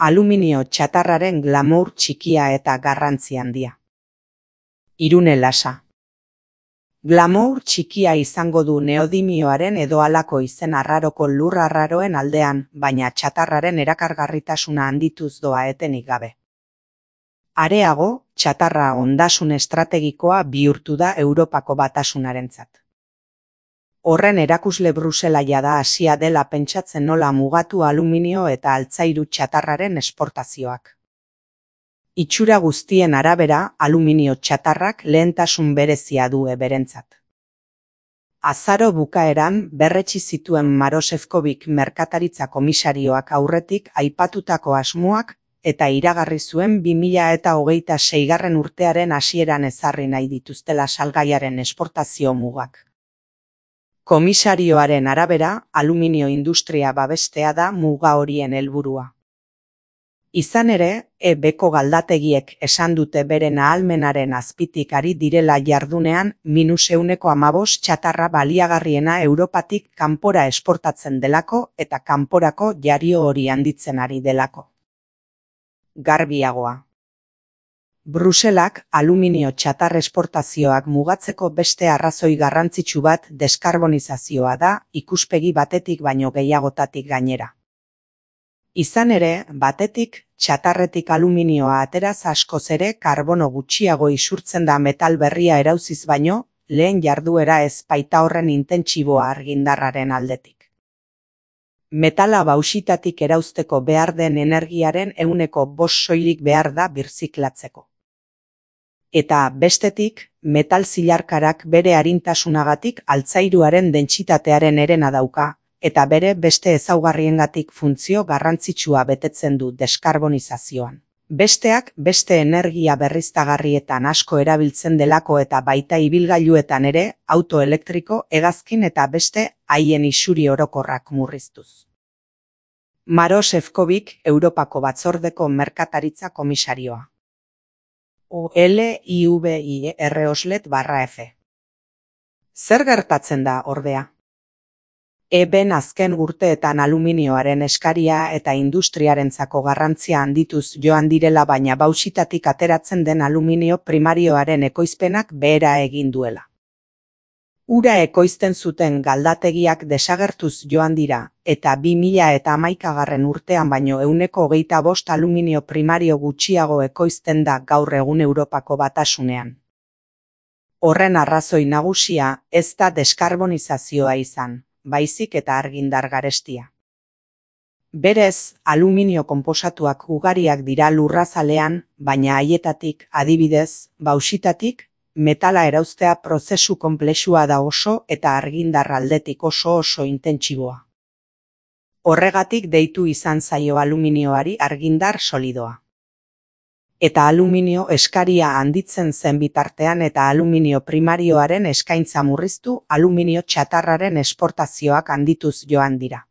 Aluminio txatarraren glamour txikia eta garrantzi handia. Irune Lasa. Glamour txikia izango du neodimioaren edo halako izen arraroko lur arraroen aldean, baina txatarraren erakargarritasuna handituz doa etenik gabe. Areago, txatarra ondasun estrategikoa bihurtu da Europako Batasunarentzat. Horren erakusle Bruselaia da hasia dela pentsatzen nola mugatu aluminio eta altzairu txatarraren esportazioak. Itxura guztien arabera, aluminio txatarrak lehentasun berezia du berentzat. Azaro bukaeran berretsi zituen Maroš Šefčovič merkataritza komisarioak aurretik aipatutako asmoak eta iragarri zuen 2026 urtearen hasieran ezarri nahi dituztela salgaiaren esportazio mugak. Komisarioaren arabera, aluminio industria babestea da muga horien helburua. Izan ere, beko galdategiek esan dute beren ahalmenaren azpitik ari direla jardunean -15% txatarra baliagarriena Europatik kanpora esportatzen delako eta kanporako jario hori handitzen ari delako. Garbiagoa. Bruselak aluminio txatar esportazioak mugatzeko beste arrazoi garrantzitsu bat deskarbonizazioa da, ikuspegi batetik baino gehiagotatik gainera. Izan ere, batetik, txatarretik aluminioa ateraz askoz ere karbono gutxiago isurtzen da metal berria erauziz baino, lehen jarduera ez baita horren intentsiboa argindarraren aldetik. Metala bauxitatik erauzteko behar den energiaren 5% soilik behar da birziklatzeko. Eta bestetik, metal zilarkarak bere arintasunagatik altzairuaren dentsitatearen herena dauka, eta bere beste ezaugarriengatik funtzio garrantzitsua betetzen du deskarbonizazioan. Besteak beste energia berriztagarrietan asko erabiltzen delako eta baita ibilgailuetan ere, auto elektriko, hegazkin eta beste haien isuri orokorrak murriztuz. Maroš Šefčovič, Europako Batzordeko merkataritza komisarioa. OLIVIR/F. Zer gertatzen da, ordea? Ben azken urteetan aluminioaren eskaria eta industriarentzako garrantzia handituz joan direla baina bauxitatik ateratzen den aluminio primarioaren ekoizpenak behera egin duela. Ura ekoizten zuten galdategiak desagertuz joan dira, eta 2011 urtean baino 25% aluminio primario gutxiago ekoizten da gaur egun Europako Batasunean. Horren arrazoi nagusia ez da deskarbonizazioa izan, baizik eta argindar garestia. Berez, aluminio konposatuak ugariak dira lurrazalean, baina haietatik, adibidez, bauxitatik, metala erauztea prozesu konplexua da oso eta argindar aldetik oso intentsiboa. Horregatik deitu izan zaio aluminioari argindar solidoa. Eta aluminio eskaria handitzen zen bitartean eta aluminio primarioaren eskaintza murriztu aluminio txatarraren esportazioak handituz joan dira.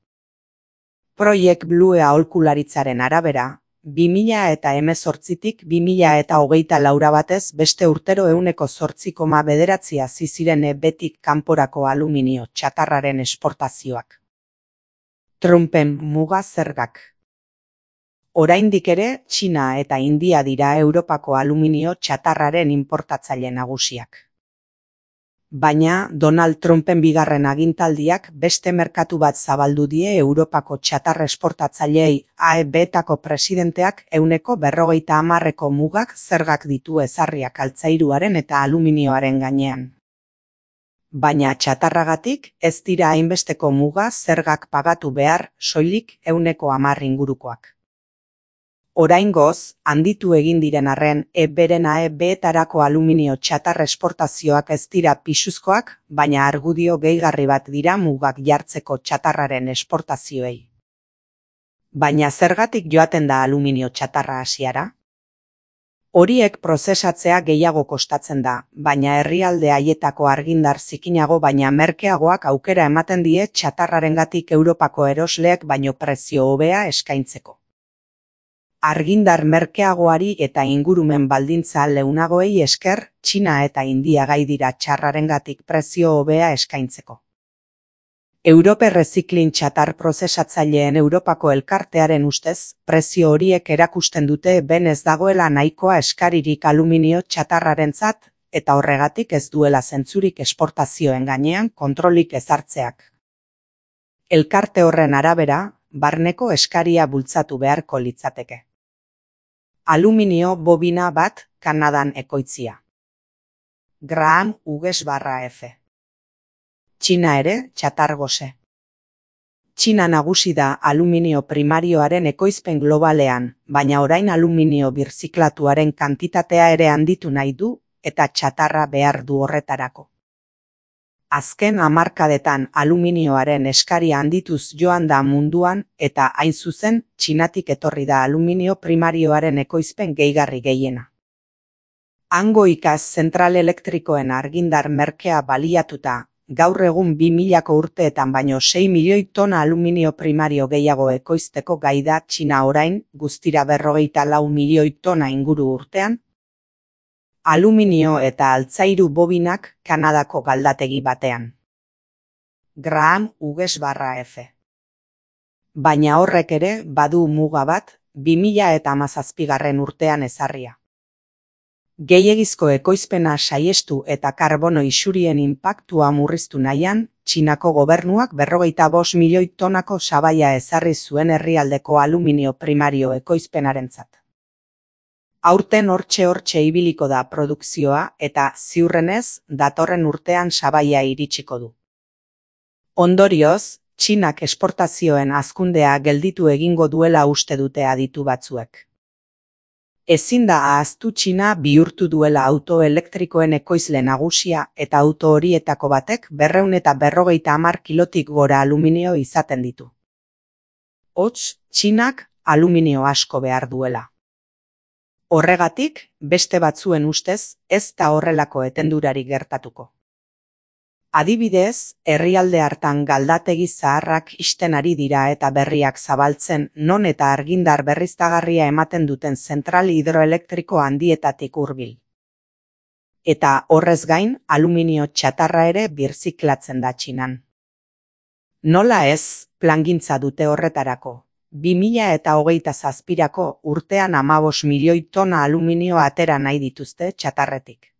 Project Blue aholkularitzaren arabera, 2018tik 2024 batez beste urtero 8,9 hazi ziren betik kanporako aluminio txatarraren esportazioak. Trumpen muga zergak. Oraindik ere, Txina eta India dira Europako aluminio txatarraren importatzaile nagusiak. Baina, Donald Trumpen bigarren agintaldiak beste merkatu bat zabaldu die Europako txatar esportatzaileei AEB-etako presidenteak 40% mugak zergak ditu ezarriak altzairuaren eta aluminioaren gainean. Baina txatarragatik ez dira hainbesteko muga zergak pagatu behar, soilik 10% ingurukoak. Oraingoz, handitu egin diren arren, beren AEB-etarako aluminio txatar esportazioak ez dira pisuzkoak, baina argudio gehigarri bat dira mugak jartzeko txatarraren esportazioei. Baina zergatik joaten da aluminio txatarra Asiara? Horiek prozesatzea gehiago kostatzen da, baina herrialde haietako argindar zikinago baina merkeagoak aukera ematen die txatarrarengatik Europako erosleek baino prezio hobea eskaintzeko. Argindar merkeagoari eta ingurumen baldintza leunagoei esker, Txina eta India gai dira txarrarengatik prezio hobea eskaintzeko. Europe Recycling txatar prozesatzaileen Europako elkartearen ustez, prezio horiek erakusten dute ben ez dagoela nahikoa eskaririk aluminio txatarrarentzat, eta horregatik ez duela zentzurik esportazioen gainean kontrolik ezartzeak. Elkarte horren arabera, barneko eskaria bultzatu beharko litzateke. Aluminio bobina bat Kanadan ekoitzia. Graham Hughes/F. Txina ere txatar gose. Txina nagusi da aluminio primarioaren ekoizpen globalean, baina orain aluminio birziklatuaren kantitatea ere handitu nahi du eta txatarra behar du horretarako. Azken hamarkadetan aluminioaren eskaria handituz joan da munduan eta hain zuzen Txinatik etorri da aluminio primarioaren ekoizpen gehigarri gehiena. Hango ikaz zentral elektrikoen argindar merkea baliatuta, gaur egun 2000ko urteetan baino 6 milioi tona aluminio primario gehiago ekoizteko gai da Txina orain, guztira 44 milioi tona inguru urtean, aluminio eta altzairu bobinak Kanadako galdategi batean. Graham Hughes/F. Baina horrek ere badu muga bat, 2017 urtean ezarria. Gehiegizko ekoizpena saiestu eta karbono isurien inpaktua murriztu nahian, Txinako gobernuak 45 milioi tonako sabaia ezarri zuen herrialdeko aluminio primario ekoizpenarentzat. Aurten hortxe ibiliko da produkzioa eta ziurrenez datorren urtean sabaia iritsiko du. Ondorioz, Txinak esportazioen hazkundea gelditu egingo duela uste dute aditu batzuek. Ezin da ahaztu Txina bihurtu duela auto elektrikoen ekoizle nagusia eta auto horietako batek 250 kilotik gora aluminio izaten ditu. Hots, Txinak aluminio asko behar duela. Horregatik, beste batzuen ustez, ez da horrelako etendurari gertatuko. Adibidez, herrialde hartan galdategi zaharrak ixten ari dira eta berriak zabaltzen non eta argindar berriztagarria ematen duten zentral hidroelektriko handietatik hurbil. Eta horrez gain, aluminio txatarra ere birziklatzen da Txinan. Nola ez, plangintza dute horretarako. 2027ko urtean 15 milioi tona aluminio atera nahi dituzte txatarretik.